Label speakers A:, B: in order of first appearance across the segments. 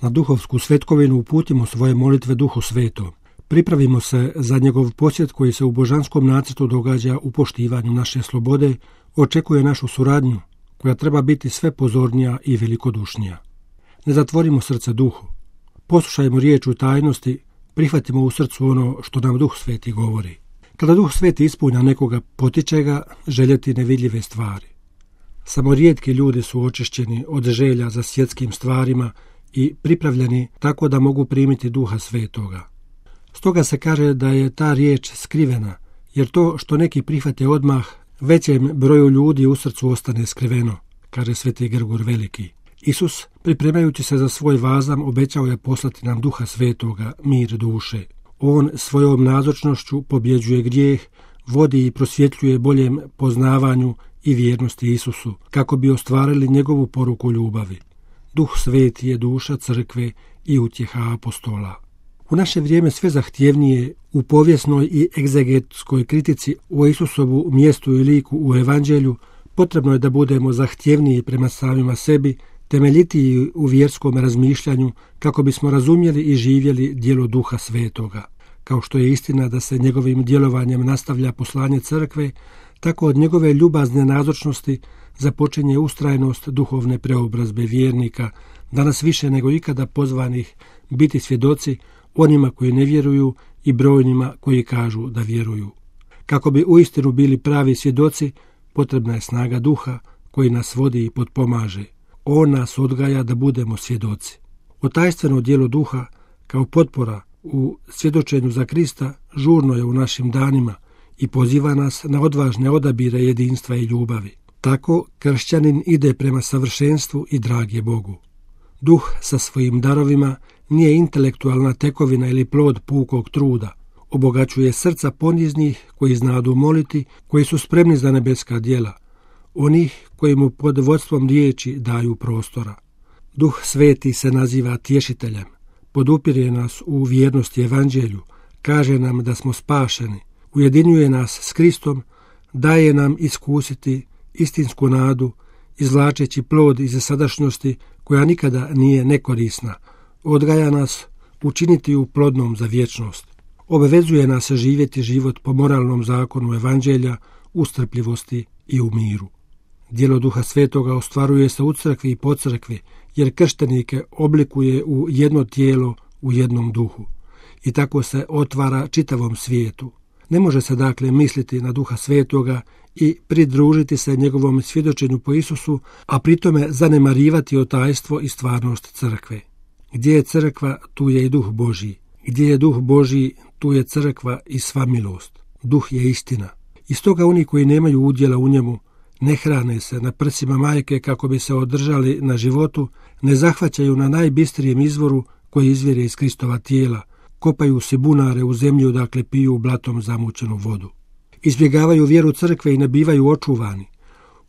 A: Na duhovsku svetkovinu uputimo svoje molitve Duhu Svetom. Pripravimo se za njegov posjet koji se u božanskom nacrtu događa u poštivanju naše slobode, očekuje našu suradnju, koja treba biti sve pozornija i velikodušnija. Ne zatvorimo srce Duhu. Poslušajmo riječ u tajnosti, prihvatimo u srcu ono što nam Duh Sveti govori. Kada Duh Sveti ispunja nekoga, potiče ga željeti nevidljive stvari. Samo rijetki ljudi su očišćeni od želja za svjetskim stvarima i pripravljeni tako da mogu primiti Duha Svetoga. Stoga se kaže da je ta riječ skrivena, jer to što neki prihvate odmah, većem broju ljudi u srcu ostane skriveno, kaže sveti Grgur Veliki. Isus, pripremajući se za svoj vazam, obećao je poslati nam Duha Svetoga, mir duše. On svojom nazočnošću pobjeđuje grijeh, vodi i prosvjetljuje boljem poznavanju i vjernosti Isusu, kako bi ostvarili njegovu poruku ljubavi. Duh Sveti je duša crkve i utjeha apostola. U naše vrijeme sve zahtjevnije u povijesnoj i egzegetskoj kritici o Isusovu mjestu i liku u Evanđelju potrebno je da budemo zahtjevniji prema samima sebi, temeljitiji u vjerskom razmišljanju kako bismo razumjeli i živjeli djelo Duha Svetoga. Kao što je istina da se njegovim djelovanjem nastavlja poslanje crkve, tako od njegove ljubazne nazočnosti započinje ustrajnost duhovne preobrazbe vjernika, danas više nego ikada pozvanih biti svjedoci onima koji ne vjeruju i brojnima koji kažu da vjeruju. Kako bi uistinu bili pravi svjedoci, potrebna je snaga Duha koji nas vodi i potpomaže. On nas odgaja da budemo svjedoci. Otajstveno djelo Duha kao potpora u svjedočenju za Krista žurno je u našim danima i poziva nas na odvažne odabire jedinstva i ljubavi. Tako kršćanin ide prema savršenstvu i drag je Bogu. Duh sa svojim darovima nije intelektualna tekovina ili plod pukog truda. Obogaćuje srca poniznih koji znadu moliti, koji su spremni za nebeska djela, onih koji mu pod vodstvom riječi daju prostora. Duh Sveti se naziva tješiteljem, podupire nas u vjernosti Evanđelju, kaže nam da smo spašeni, ujedinjuje nas s Kristom, daje nam iskusiti istinsku nadu, izvlačeći plod iz sadašnjosti koja nikada nije nekorisna, odgaja nas učiniti ju plodnom za vječnost. Obavezuje nas živjeti život po moralnom zakonu Evanđelja, u strpljivosti i u miru. Djelo Duha Svetoga ostvaruje se u crkvi i po crkvi, jer krštenike oblikuje u jedno tijelo, u jednom duhu. I tako se otvara čitavom svijetu. Ne može se dakle misliti na Duha Svetoga i pridružiti se njegovom svjedočenju po Isusu, a pritome zanemarivati otajstvo i stvarnost crkve. Gdje je crkva, tu je i Duh Božji. Gdje je Duh Božji, tu je crkva i sva milost. Duh je istina. I stoga oni koji nemaju udjela u njemu ne hrane se na prsima majke kako bi se održali na životu, ne zahvaćaju na najbistrijem izvoru koji izvire iz Kristova tijela, kopaju si bunare u zemlju dakle piju blatom zamućenu vodu. Izbjegavaju vjeru crkve i ne bivaju očuvani,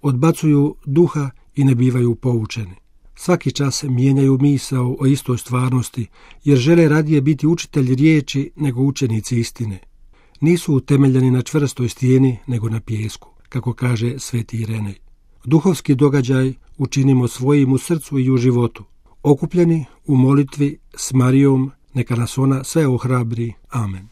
A: odbacuju duha i ne bivaju poučeni. Svaki čas mijenjaju misao o istoj stvarnosti, jer žele radije biti učitelji riječi nego učenici istine. Nisu utemeljeni na čvrstoj stijeni nego na pijesku, kako kaže sveti Irenej. Duhovski događaj učinimo svojim u srcu i u životu. Okupljeni u molitvi s Marijom, neka nas ona sve ohrabri. Amen.